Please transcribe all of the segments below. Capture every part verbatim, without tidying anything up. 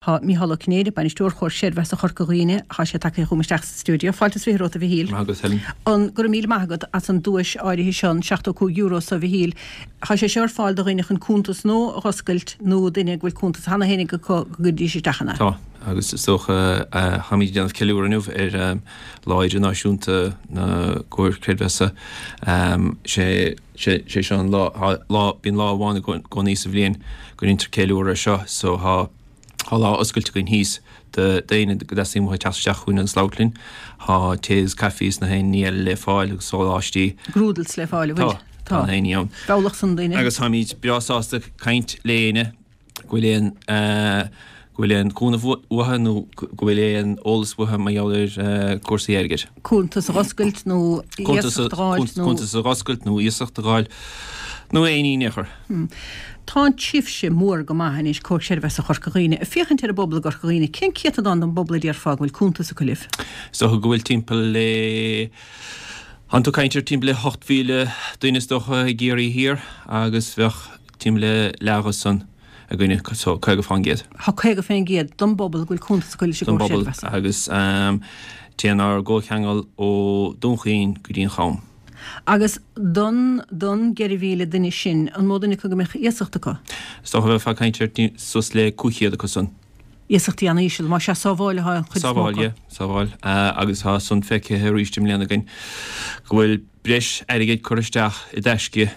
Tá Mícheál Ó Cinnéide, Bainisteoir Chomhar Creidmheasa Chorca Dhuibhne, tá sé tagtha chugam isteach sa stiúideo. Fáilte is fiche romhat, a Mhichíl. Maith agat, Helen. An, go raibh míle maith agat as an duais áirithe seo, an seachtó cúig euro so, a Mhichíl. Tá sé seo ar fáil do dhaoine chun cuntas nua a dh'oscailt nó duine go bhfuil cuntas cheana féin acu go gcuiridís isteach ann é. Tá, agus is dócha, táimid ag déanamh ceiliúradh inniu ar Lá Idirnáisiúnta na gComhar Creidmheasa. Sé sé seo an lá, lá, bíonn lá amháin i gcónaí sa bhliain go ndéantar ceiliúradh air seo, so tá, Tá lá oscailte againn thíos do d'éinne go dteastaíonn uathu teacht isteach chugainn agus labhairt linn. Tá tae agus caife is na haon ní eile le fáil agus sóláistí. Grúdals le fáil, an bhfuil? Tá, tá na haon ní ann. Bealach san daoine. Agus táimid breá sásta caint le éinne go bhfuil aon go bhfuil aon chúnamh uathu nó go bhfuil aon eolas uathu mar gheall ar cúrsaí airgid. Cuntas a dh'oscailt nó iasacht a dh'fháilt nó. Cuntas a dh'oscailt nó iasacht a dh'fháil nó aon ní in aon chor. Tá sibhse mór go maith anois, Comhar Creidmheasa Chorca Dhuibhne. Ag féachaint ar an bpobal i gCorca Dhuibhne, cén céatadán den bpobal a déarfá go bhfuil cuntas acu libh? Is dócha go bhfuil timpeall le, tánn tú ag caint ar timpeall le hocht mhíle duine is dócha i gCiarraí Thiar agus bheadh timpeall le leath dhe san againne, so caoga fán gcéad. Tá caoga fén gcéad den bpobal go bhfuil cuntas acu leis an Den gComhar bpobal Creidmheasa. agus téann ár gcomhcheangal ó Dún Chaoin go dtí an Cham. Agus don, don gceithre mhíle duine sin, an mó duine acu go mbeadh iasacht acu? Is dócha bheifeá ag caint ar suas le cúig chéad acu san. Iasachtaí an-íseal, más ea, sábháil atá an chuid is mó Sábháil, acu. yeah, sábháil. Agus tá san feicthe arís i mbliana againn go bhfuil breis airgid curtha isteach i dtaisce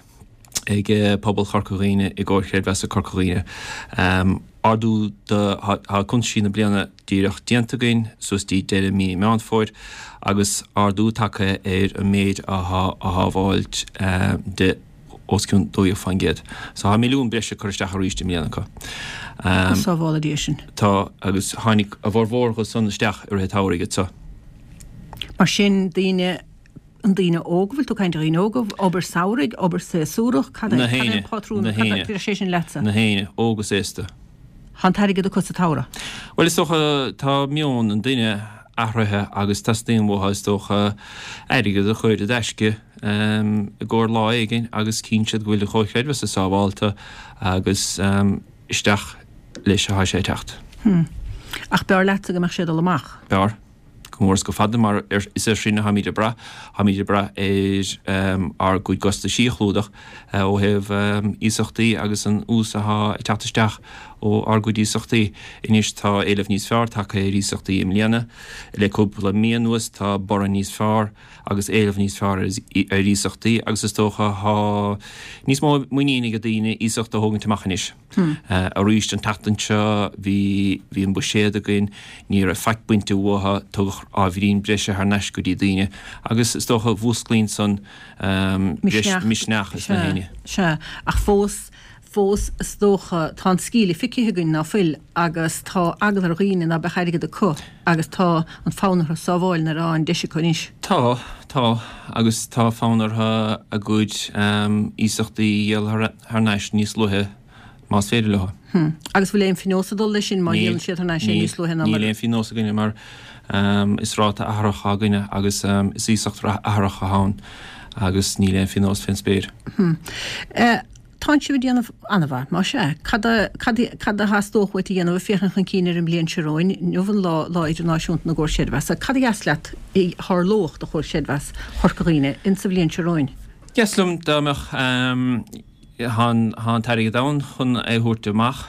ag pobal Chorca Dhuibhne i gComhar Creidmheasa Corca Dhuibhne. Ardú do, tá cuntaisí na bliana díreach déanta againn suas dtí deireadh mí Meán Fómhair agus ardú tagtha ar an méid athá á shábháilt de os cionn dó dhéag faoin gcéad. So tá milliún breise curtha isteach arís i mbliana acu. Go sábhála Dia sinn. Tá, agus tháinig a bhformhór dhe san isteach i rith an tsamhraidh so. Mar sin, daoine An daoine óga, bhfuil tú ag caint ar dhaoine óga, obair samhraidh, obair séasúrach, cad é, Na cad é héinne, an pátrún, na cad é, héinne, bhí sé sin leatsa? na héinne, óg is aosta. Tá an t-airgead acu sa tsamhradh. Bhuel, is dócha, tá meon an duine athraithe agus teastaíonn uathu, is dócha, airgead a chur i dtaisce i gcomhair lá éigin agus cíonn siad go bhfuil an Chomhar Creidmheasa sábhálta agus isteach leis atá sé ag teacht. Hm. Ach b'fhearr leatsa go mbeadh sé ag dul amach. B'fhearr. go mór is go fada mar is air sin atáimid ag brath, táimid ag brath ar ár gcuid costaisí a chlúdach ó thaobh iasachtaí agus an ús atá ag teacht isteach ó ár gcuid iasachtaí. Anois tá éileamh níos fearr tagtha ar iasachtaí i mbliana. Le cúpla mí anuas tá borradh níos fearr agus éileamh níos fearr ar iasachtaí agus is dócha tá níos mó muinín ag daoine iasacht a thógaint amach anois. Arís an tseachtain seo bhí bhí an buiséad againn, ní raibh faic bainte uathu, tugadh ábhairín breise thar n-ais go dtí daoine agus is dócha mhúsclaíonn san breis misneach ins na héinne. Sea, ach fós, fós is dócha tá an scíle feicthe againn ná fuil agus tá eagla ar dhaoine ná beadh airgead acu agus tá an fonn orthu sábháil nuair atá an deis acu anois. Tá, tá, agus tá fonn orthu a gcuid iasachtaí a dhíol thar n-ais níos luaithe más féidir leo. Hm. Agus bhfuil aon phionós ag dul leis sin má Níl, dhíolann siad thar n-ais é níl, níos luaithe ná mar níl aon phionós againne mar is ráta athraitheach atá againne agus is iasacht athraitheach atá ann agus níl aon phionós fén spéir. Hm. Eh, tánn sibh ag déanamh an-mhaith, más ea. Cad a, cad, cad a theastódh uait a dhéanamh ag féachaint chun cinn ar an mbliain seo romhainn, inniu an lá, Lá Idirnáisiúnta na gComhar Creidmheasa. Cad a dheas leat a tharlódh do Chomhar Creidmheas Chorca Dhuibhne insa bhliain seo romhainn? Dheas liom dá mbeadh, Tá an t-airgead ann chun é a thabhairt amach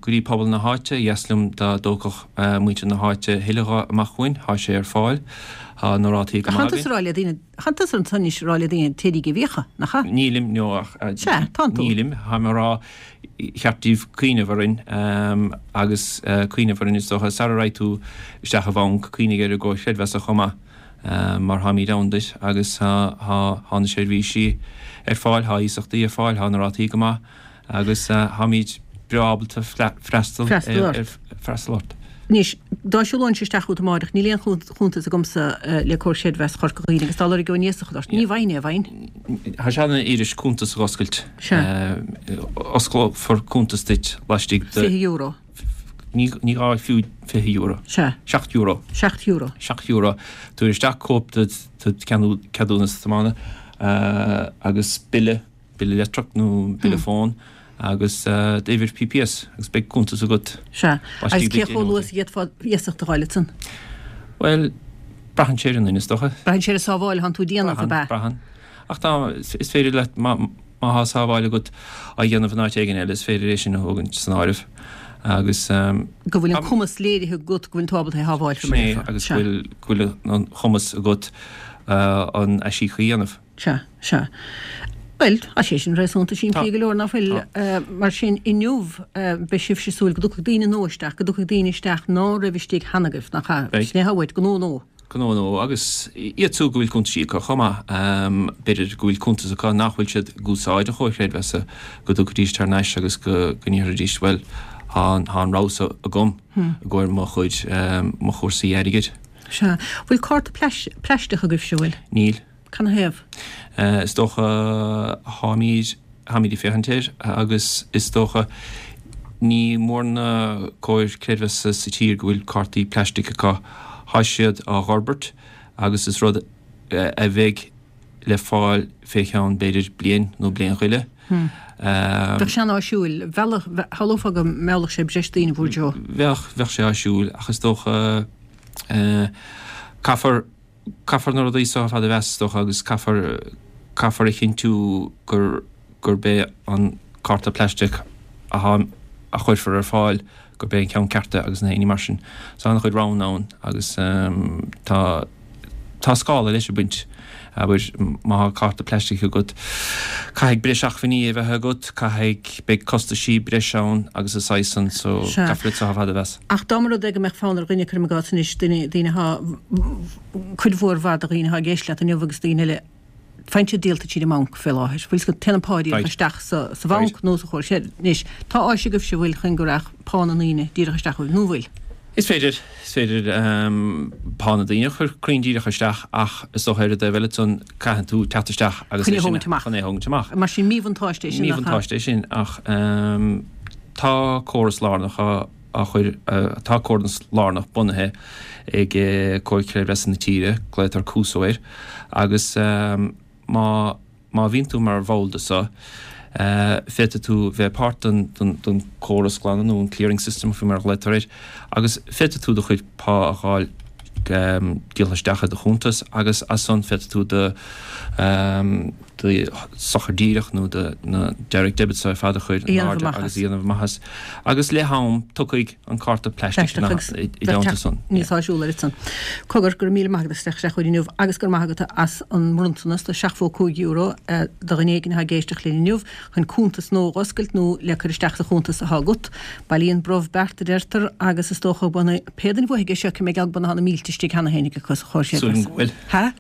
go dtí pobal na háite. Dheas liom dá dtógfadh muintir na háite thuilleadh dhe amach chugainn. Tá sé ar fáil. Tá na rátaí go Ach maith tánn tusa againn. ag rá le daoine, tánn tusa ansan anois ag rá le daoine téirígí ag íoc, nach ea? Nílim, no, ach Sea, tánn tú. nílim. Táim ag rá, cheart daoibh cuimhneamh orainn agus cuimhneamh orainn is dócha sara raghaidh tú isteach i bhanc, cuimhnigh ar an gComhar Creidmheasa chomh maith. mar táimid ann duit agus tá na seirbhísí ar fáil, tá iasachtaí ar fáil, tá na rátaí go maith agus táimid breá ábalta freastal freastal ort. Anois, dá siúlóinnse isteach chugat amáireach, níl aon chuntas agamsa le Comhar Creidmheasa Chorca Dhuibhne agus dá lorgóinn iasacht ort, ní bhfaighinn é, an bhfaighinn? Tá sé an-fhuirist cuntas a dh'oscailt. Sea. Osclófar cuntas duit laistigh de. Fiche euro. Ní gá fiú fiche euro. Sea. Seacht euro. Seacht euro. Seacht euro. Tabhair isteach cóip de do cheadúnas tiomána agus bille, bille leictreach nó bille fóin agus d'uimhir P P S agus beidh cuntas agat. Sea. Agus cé chomh luath is a d'fhéadfá iasacht a fháil ansan? Well, braitheann sé ar an duine, is dócha. Braitheann sé ar an sábháil atánn tú a dhéanamh, ab ea? Braitheann. Ach tá, is féidir leat, má má tá sábháil agat á dhéanamh in áit éigin eile, is féidir é sin a thógaint san áireamh. Agus go bhfuil an cumas léirithe agat go bhfuil tú ábalta é a shábháil faoi mar a déarfá. Agus go bhfuil go bhfuil an cumas agat an aisíoc a dhéanamh. Sea, sea. Bhuel, tá sé sin réasúnta simplí go leor, nach bhfuil? Mar sin, inniu, beidh sibhse ag súil go dtiocfaidh daoine nua isteach, go dtiocfaidh daoine isteach ná raibh istigh cheana agaibh, nach ea? Sin é atá uait, gnó nua. Gnó nua, agus iad siúd go bhfuil cuntaisí acu chomh maith. B'fhéidir go bhfuil cuntas acu nach bhfuil siad ag úsáid an chomhar creidmheasa, go dtiocfaidís thar n-ais agus go ndéarfaidís, bhuel, tá an rogha seo agam i gcomhair mo chuid, mo chúrsaí airgid. Sea. Bhfuil cárta plaisteach agaibhse, bhfuil? Níl. Canathaobh? Is dócha táimid, táimid ag féachaint air agus is dócha ní mór na comhair creidmheasa sa tír go bhfuil cártaí plaistic acu. Tá siad á bhforbairt agus is rud a bheidh le fáil fé cheann b'fhéidir bliain nó bliain go leith. Bheadh sé an-áisiúil. Shamhlófá go meallfadh sé breis daoine bhur dtreo. Bheadh, bheadh sé áisiúil ach is dócha caithfear, caithfear na rudaí seo ar fad a mheas is dócha agus caithfear, caithfear a chinntiú gur, gurb é an cárta plaisteach atá, a chuirfear ar fáil gurb é an ceann ceart é agus na héinní mar sin. So an-chuid roghanna ann agus tá, tá scála leis ag baint. Abair, má tá cárta plaisteach agat, caithfidh breis acmhainní a bheith agat, caithfidh, beidh costaisí breise ann agus a saghas san, so caithfear iad seo ar fad a mheas. Ach dá mba rud é go mbeadh fonn ar dhuine, cuirim i gcás anois, duine, daoine atá, cuid mhór mhaith de dhaoine atá ag éisteacht leat inniu agus daoine eile, faigheann siad díolta tríd an mbanc fé láthair. Bhfuil 's agat, téann an pá díreach isteach sa, sa bhanc nó sa chomhar. Sea, anois, tá áis agaibhse, bhfuil, chun go rachadh pá na ndaoine díreach isteach chugaibh, nó bhfuil? Is féidir, is féidir pá na ndaoine a chur cruinn díreach isteach ach is dócha ar an dtaobh eile ansan caitheann tú teacht isteach agus é sin chun é a thógaint amach. Mar sin míbhuntáiste é sin nach ea? Míbhuntáiste é sin ach tá córas lárnach á á chur, tá córas lárnach bunaithe ag Comhar Creidmheasa na tíre, glaotar Cuso air, agus má Má bhíonn tú mar bhall de seo, féadfaidh tú bheith páirt den den córas glanadh nó an clearing system faoi mar a ghlaotar air agus féadfaidh tú do chuid pá a fháil díolta isteach i do chuntas agus as san féadfaidh tú do do sochar díreach nó do na direct debits ar fad a chur in airde agus a dhéanamh amach as. Agus le ham tiocfaidh an cárta plaisteach i dteannta san. Níos áisiúla oiread san. Cogar, go raibh míle maith agat as teacht isteach chugainn inniu agus go raibh maith agat as an mbronntanas de seachtó cúig euro do dhuine éigin atá ag éisteacht linn inniu chun cuntas nua a dh'oscailt nó le cur isteach sa chuntas atá agat. Bailíonn brobh beart a deirtear agus is dócha go bhfuil pé duine a bhuafaidh é seo cé mé geall go mbeidh na mílte istigh cheana féin acu sa chomhar Súil agam go bhfuil. Ha?